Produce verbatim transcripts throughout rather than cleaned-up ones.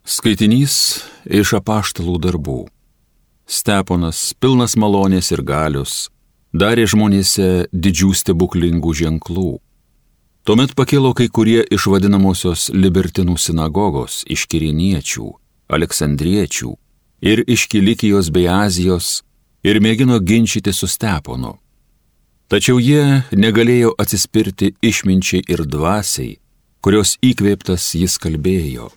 Skaitinys iš apaštalų darbų. Steponas, pilnas malonės ir galios, darė žmonėse didžių stebuklingų ženklų. Tuomet pakilo kai kurie iš vadinamosios libertinų sinagogos, iš Kiriniečių, Aleksandriečių ir iš Kilikijos bei Azijos ir mėgino ginčyti su Steponu. Tačiau jie negalėjo atsispirti išminčiai ir dvasiai, kurios įkvėptas jis kalbėjo.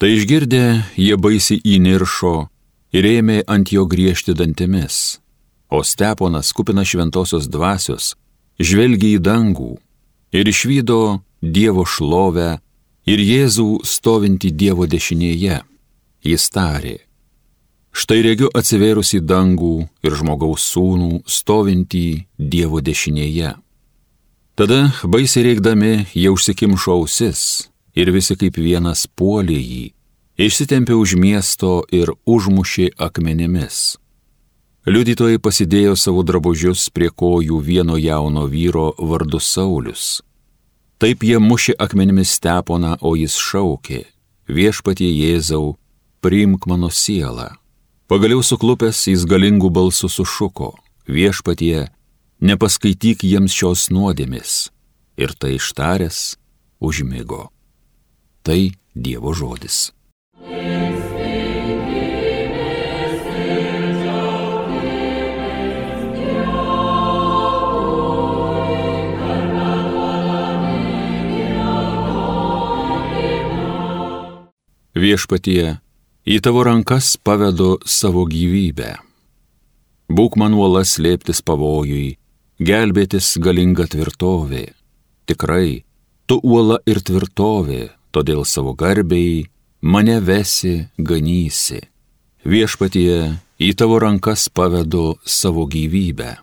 Tai išgirdę, jie baisiai įniršo ir ėmė ant jo griežti dantimis, o Steponas, kupinas šventosios dvasios, žvelgė į dangų ir išvydo Dievo šlovę ir Jėzų stovintį Dievo dešinėje. Jis tarė: štai regiu atsivėrusi dangų ir žmogaus sūnų stovintį Dievo dešinėje. Tada baisiai reikdami jie užsikimšo ausis ir visi kaip vienas puolė jį, išsitempė už miesto ir užmušė akmenimis. Liudytojai pasidėjo savo drabužius prie kojų vieno jauno vyro vardu Saulius. Taip jie mušė akmenimis Steponą, o jis šaukė: viešpatie Jėzau, priimk mano sielą. Pagaliau suklupęs jis galingų balsų sušuko: viešpatie, nepaskaityk jiems šios nuodėmės. Ir tai ištaręs užmigo. Tai Dievo žodis. Viešpatie, į tavo rankas pavedu savo gyvybę. Būk man uola slėptis pavojui, gelbėtis galinga tvirtovė. Tikrai, tu uola ir tvirtovė, todėl savo garbei mane vesi, ganysi. Viešpatie, į tavo rankas pavedu savo gyvybę.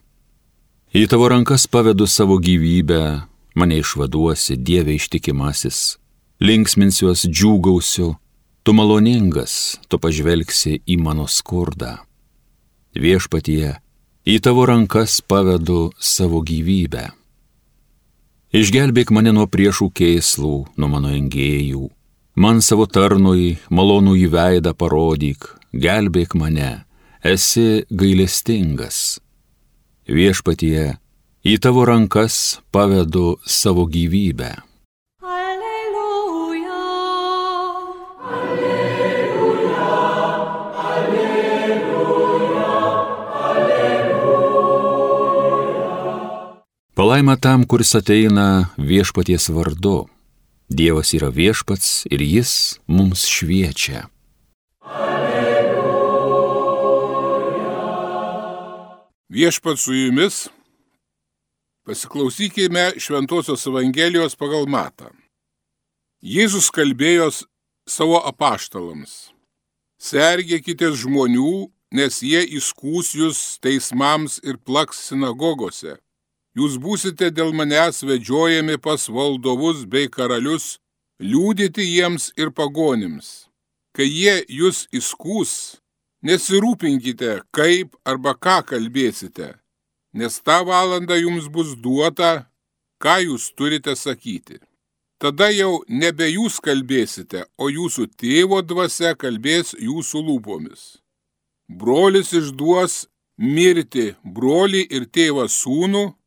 Į tavo rankas pavedu savo gyvybę, mane išvaduosi, Dieve ištikimasis. Linksminsiuos, džiūgausiu, tu maloningas, tu pažvelgsi į mano skurdą. Viešpatie, į tavo rankas pavedu savo gyvybę. Išgelbėk mane nuo priešų kėslų, nuo mano engėjų. Man savo tarnui malonų į veidą parodyk, gelbėk mane, esi gailestingas. Viešpatie, į tavo rankas pavedu savo gyvybę. Alleluja, alleluja, alleluja, alleluja. Palaima tam, kuris ateina viešpaties vardu. Dievas yra viešpats ir jis mums šviečia. Alleluja. Viešpats su jumis. Pasiklausykime Šventosios Evangelijos pagal Matą. Jėzus kalbėjo savo apaštalams: sergėkitės žmonių, nes jie įskųs jūs teismams ir plaks sinagogose. Jūs būsite dėl manęs vedžiojami pas valdovus bei karalius, liudyti jiems ir pagonims. Kai jie jūs įskūs, nesirūpinkite, kaip arba ką kalbėsite, nes tą valandą jums bus duota, ką jūs turite sakyti. Tada jau nebe jūs kalbėsite, o jūsų tėvo dvasia kalbės jūsų lūpomis. Brolis išduos mirti brolį ir tėvą sūnų,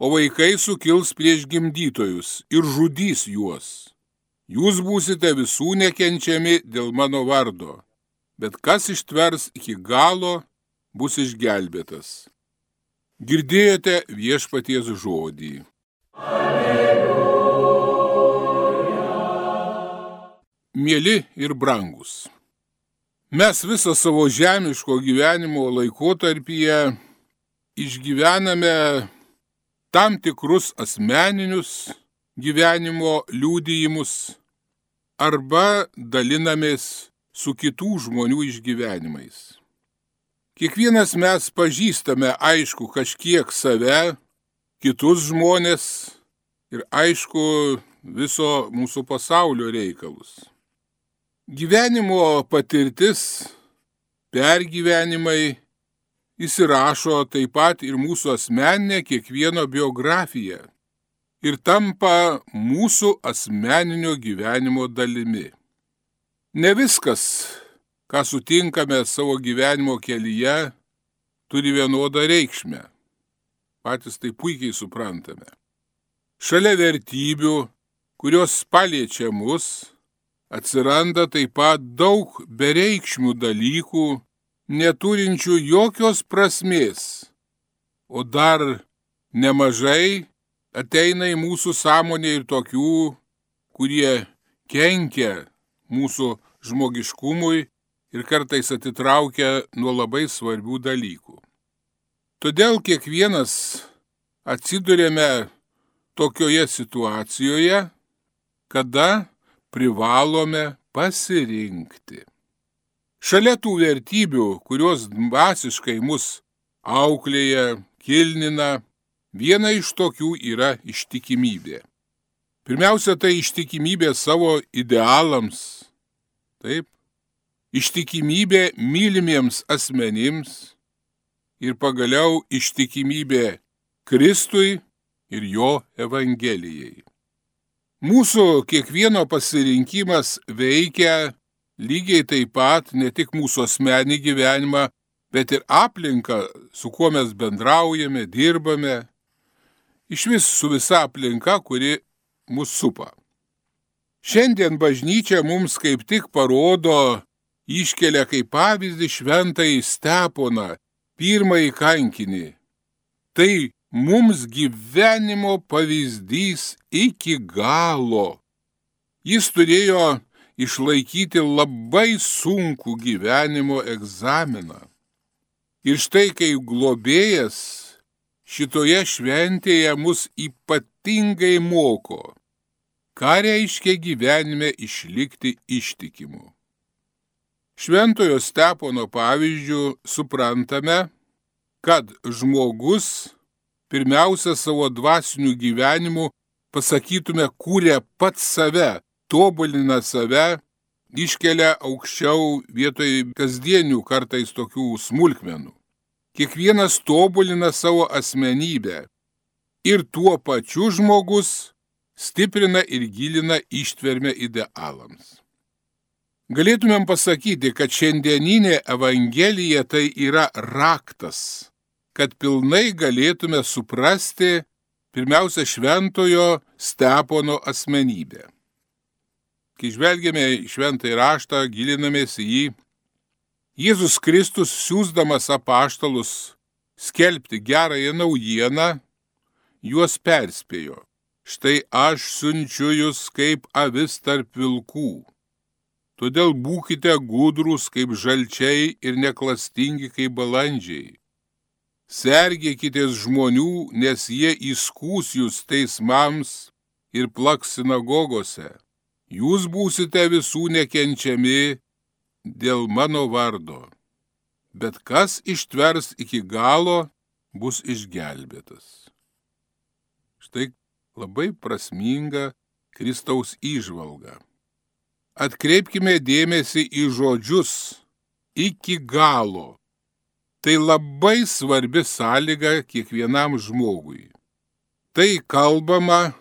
o vaikai sukils prieš gimdytojus ir žudys juos. Jūs būsite visų nekenčiami dėl mano vardo, bet kas ištvers iki galo, bus išgelbėtas. Girdėjote viešpaties žodį. Alleluja. Mieli ir brangus, mes visą savo žemiško gyvenimo laikotarpyje išgyvename tam tikrus asmeninius gyvenimo liudijimus arba dalinamės su kitų žmonių išgyvenimais. Kiekvienas mes pažįstame, aišku, kažkiek save, kitus žmonės ir, aišku, viso mūsų pasaulio reikalus. Gyvenimo patirtis, pergyvenimai įsirašo taip pat ir mūsų asmeninę kiekvieno biografiją ir tampa mūsų asmeninio gyvenimo dalimi. Ne viskas, ką sutinkame savo gyvenimo kelyje, turi vienodą reikšmę. Patys tai puikiai suprantame. Šalia vertybių, kurios paliečia mus, atsiranda taip pat daug bereikšmių dalykų, neturinčių jokios prasmės, o dar nemažai ateina į mūsų sąmonę ir tokių, kurie kenkia mūsų žmogiškumui ir kartais atitraukia nuo labai svarbių dalykų. Todėl kiekvienas atsidurėme tokioje situacijoje, kada privalome pasirinkti. Šalia tų vertybių, kurios dvasiškai mus auklėja, kilnina, viena iš tokių yra ištikimybė. Pirmiausia, tai ištikimybė savo idealams, taip, ištikimybė mylimiems asmenims ir pagaliau ištikimybė Kristui ir jo Evangelijai. Mūsų kiekvieno pasirinkimas veikia lygiai taip pat ne tik mūsų asmenį gyvenimą, bet ir aplinką, su kuo mes bendraujame, dirbame, iš vis su visa aplinka, kuri mus supa. Šiandien bažnyčia mums kaip tik parodo, iškelia kaip pavyzdį šventąjį Steponą, pirmąjį kankinį. Tai mums gyvenimo pavyzdys iki galo. Jis turėjo išlaikyti labai sunkų gyvenimo egzaminą. Ir štai kai globėjas šitoje šventėje mus ypatingai moko, ką reiškia gyvenime išlikti ištikimu. Šventojo Stepono pavyzdžių suprantame, kad žmogus pirmiausia savo dvasiniu gyvenimu, pasakytume, kūrė pats save, tobulina save, iškelia aukščiau vietoj kasdienių kartais tokių smulkmenų. Kiekvienas tobulina savo asmenybę ir tuo pačiu žmogus stiprina ir gilina ištvermę idealams. Galėtumėm pasakyti, kad šiandieninė Evangelija tai yra raktas, kad pilnai galėtume suprasti pirmiausia šventojo Stepono asmenybę. Kai žvelgiame į šventąjį raštą, gilinamės į jį, Jėzus Kristus, siųsdamas apaštalus skelbti gerąją naujieną, juos perspėjo. Štai aš siunčiu jūs kaip avis tarp vilkų. Todėl būkite gudrūs kaip žalčiai ir neklastingi kaip balandžiai. Sergėkitės žmonių, nes jie įskųs jūs teismams ir plaks sinagogose. Jūs būsite visų nekenčiami dėl mano vardo. Bet kas ištvers iki galo, bus išgelbėtas. Štai labai prasminga Kristaus įžvalga. Atkreipkime dėmesį į žodžius iki galo. Tai labai svarbi sąlyga kiekvienam žmogui. Tai kalbama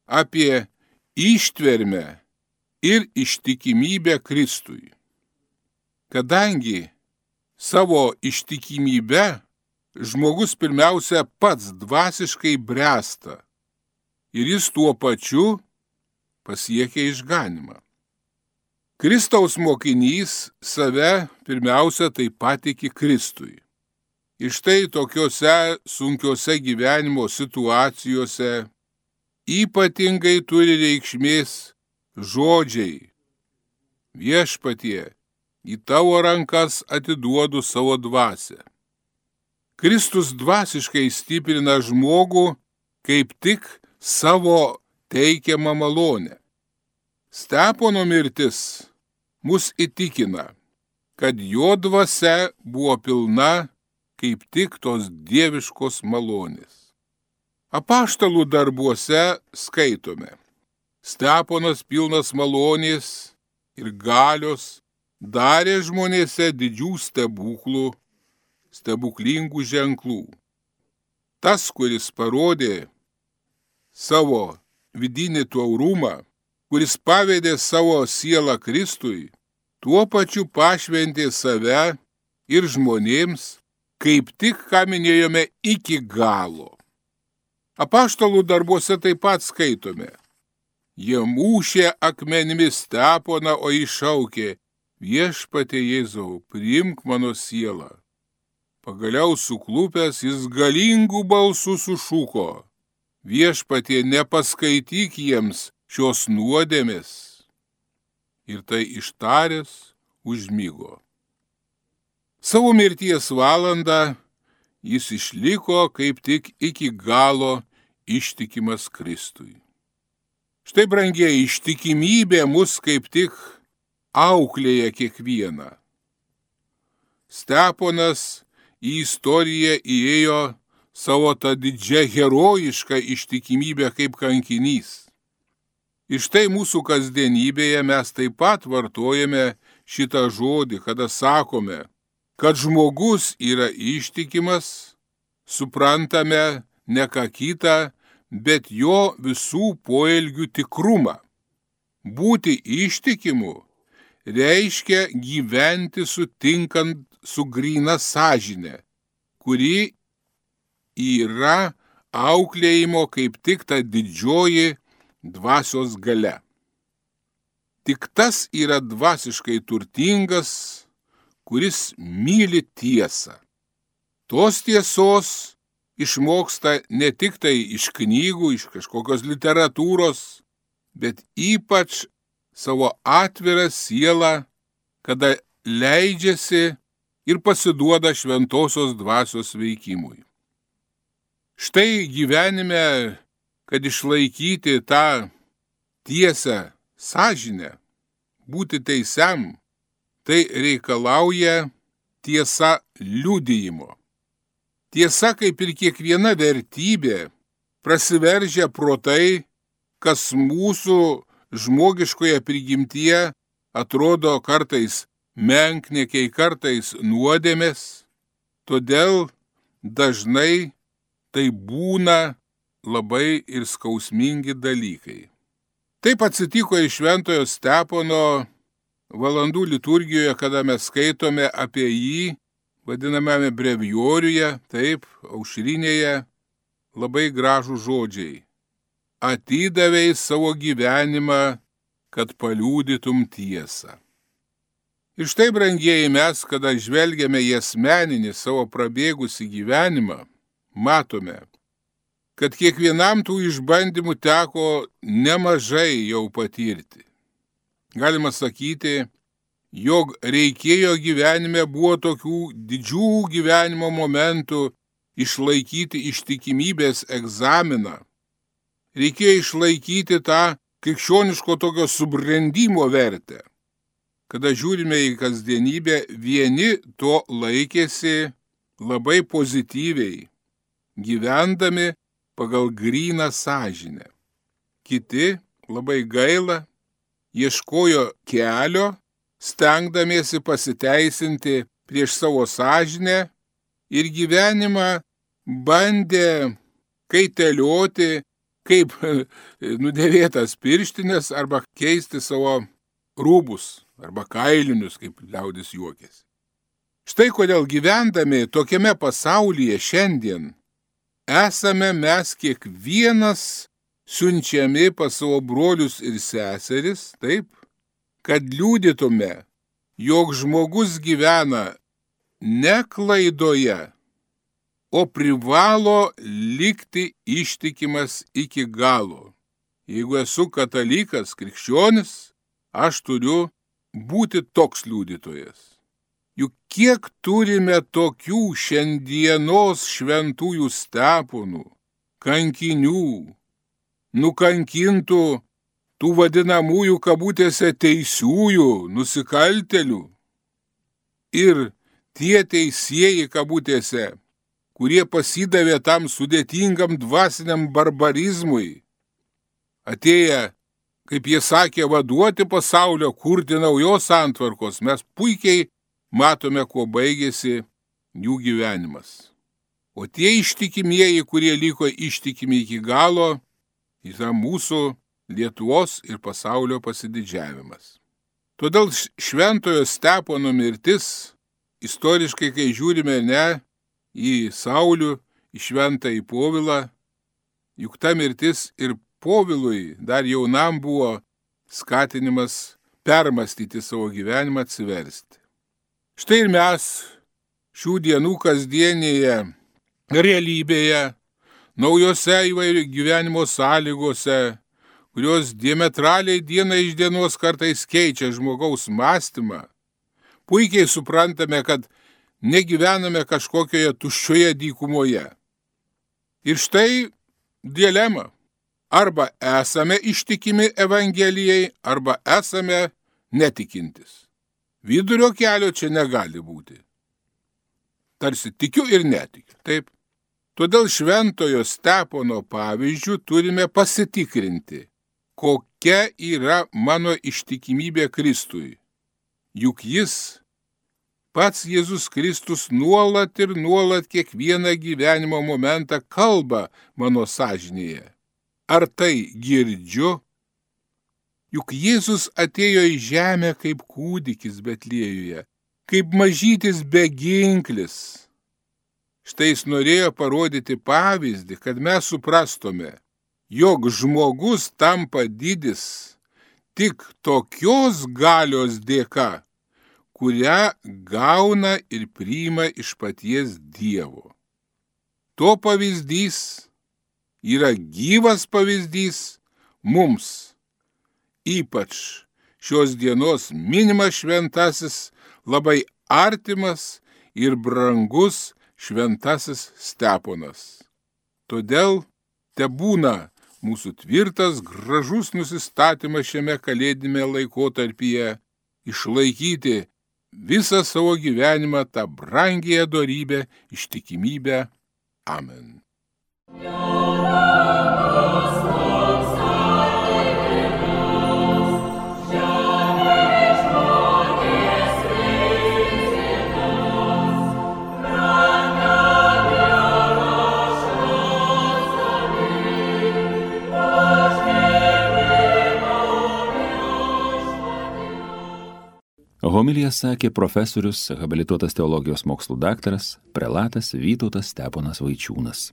apie ištvermę ir ištikimybę Kristui. Kadangi savo ištikimybę žmogus pirmiausia pats dvasiškai bręsta ir jis tuo pačiu pasiekia išganymą. Kristaus mokinys save pirmiausia taip patiki Kristui. Ir štai tokiose sunkiose gyvenimo situacijose ypatingai turi reikšmės žodžiai. Viešpatie, į tavo rankas atiduodu savo dvasią. Kristus dvasiškai stiprina žmogų kaip tik savo teikiamą malonę. Stepono mirtis mus įtikina, kad jo dvasia buvo pilna kaip tik tos dieviškos malonės. Apaštalų darbuose skaitome. Steponas pilnas malonės ir galios darė žmonėse didžių stebuklų, stebuklingų ženklų. Tas, kuris parodė savo vidinį taurumą, kuris pavedė savo sielą Kristui, tuo pačiu pašventė save ir žmonėms, kaip tik ką minėjome, iki galo. Apaštalų darbuose taip pat skaitome. Jie mūšė akmenimis Steponą, o iššaukė: Viešpatie Jėzau, priimk mano sielą. Pagaliau suklupęs jis galingų balsų sušuko: Viešpatie, nepaskaityk jiems šios nuodėmės. Ir tai ištaręs užmigo. Savo mirties valandą jis išliko kaip tik iki galo ištikimas Kristui. Štai, brangieji, ištikimybė mus kaip tik auklėja kiekvieną. Steponas į istoriją įėjo savo tą didžią herojišką ištikimybę kaip kankinys. Ir štai mūsų kasdienybėje mes taip pat vartojame šitą žodį, kada sakome, kad žmogus yra ištikimas, suprantame ne ką kitą, bet jo visų poelgių tikrumą. Būti ištikimu reiškia gyventi sutinkant su gryna sąžine, kuri yra auklėjimo kaip tik ta didžioji dvasios galia. Tik tas yra dvasiškai turtingas, kuris myli tiesą. Tos tiesos išmoksta ne tik tai iš knygų, iš kažkokios literatūros, bet ypač savo atvirą sielą, kada leidžiasi ir pasiduoda šventosios dvasios veikimui. Štai gyvenime, kad išlaikyti tą tiesą sąžinę, būti teisiam, tai reikalauja tiesa liudijimo. Tiesa, kaip ir kiekviena vertybė, prasiveržia pro tai, kas mūsų žmogiškoje prigimtyje atrodo kartais menkniekiai, kartais nuodėmės, todėl dažnai tai būna labai ir skausmingi dalykai. Taip atsitiko iš šventojo Stepono valandų liturgijoje, kada mes skaitome apie jį, vadinamame brevijoriuje, taip, aušrinėje, labai gražų žodžiai. Atidavei savo gyvenimą, kad paliudytum tiesą. Ir štai, brangieji, mes, kada žvelgiame į asmeninį savo prabėgusį gyvenimą, matome, kad kiekvienam tų išbandymų teko nemažai jau patirti. Galima sakyti, jog reikėjo gyvenime buvo tokių didžių gyvenimo momentų išlaikyti ištikimybės egzaminą. Reikėjo išlaikyti tą krikščioniško tokio subrendimo vertę. Kada žiūrime į kasdienybę, vieni to laikėsi labai pozityviai, gyvendami pagal gryną sąžinę. Kiti labai gaila ieškojo kelio, stengdamiesi pasiteisinti prieš savo sąžinę ir gyvenimą bandė kaitelioti kaip nudėvėtas pirštinės arba keisti savo rūbus arba kailinius, kaip liaudis juokėsi. Štai kodėl gyvendami tokiame pasaulyje šiandien esame mes kiekvienas siunčiami pas savo brolius ir seseris, taip, kad liudytume, jog žmogus gyvena ne klaidoje, o privalo likti ištikimas iki galo. Jeigu esu katalikas, krikščionis, aš turiu būti toks liudytojas. Juk kiek turime tokių šiandienos šventųjų Steponų, kankinių, nukankintų tų vadinamųjų kabutėse teisiųjų, nusikaltelių. Ir tie teisėjai kabutėse, kurie pasidavė tam sudėtingam dvasiniam barbarizmui, atėję, kaip jie sakė, vaduoti pasaulio, kurti naujos santvarkos, mes puikiai matome, kuo baigėsi jų gyvenimas. O tie ištikimieji, kurie liko ištikimi iki galo, yra mūsų Lietuvos ir pasaulio pasididžiavimas. Todėl šventojo Stepono mirtis, istoriškai, kai žiūrime ne į Saulių, į šventąjį Povilą, juk ta mirtis ir Povilui dar jaunam buvo skatinimas permastyti savo gyvenimą, atsiversti. Štai ir mes šių dienų kasdienėje realybėje, naujose įvairių gyvenimo sąlygose, kurios diametraliai diena iš dienos kartais keičia žmogaus mąstymą, puikiai suprantame, kad negyvename kažkokioje tuščioje dykumoje. Ir štai dilema. Arba esame ištikimi Evangelijai, arba esame netikintis. Vidurio kelio čia negali būti. Tarsi tikiu ir netikiu. Taip. Todėl šventojo Stepono pavyzdžių turime pasitikrinti, kokia yra mano ištikimybė Kristui. Juk jis, pats Jėzus Kristus, nuolat ir nuolat kiekvieną gyvenimo momentą kalba mano sąžinėje. Ar tai girdžiu? Juk Jėzus atėjo į žemę kaip kūdikis Betliejuje, kaip mažytis beginklis. Štai jis norėjo parodyti pavyzdį, kad mes suprastume, jog žmogus tampa didis tik tokios galios dėka, kurią gauna ir priima iš paties Dievo. To pavyzdys yra gyvas pavyzdys mums, ypač šios dienos minimas šventasis, labai artimas ir brangus šventasis Steponas. Todėl tebūna mūsų tvirtas, gražus nusistatymas šiame kalėdinėme laikotarpyje išlaikyti visą savo gyvenimą tą brangiąją dorybę, ištikimybę. Amen. Homiliją sakė profesorius, habilituotas teologijos mokslų daktaras, prelatas Vytautas Steponas Vaičiūnas.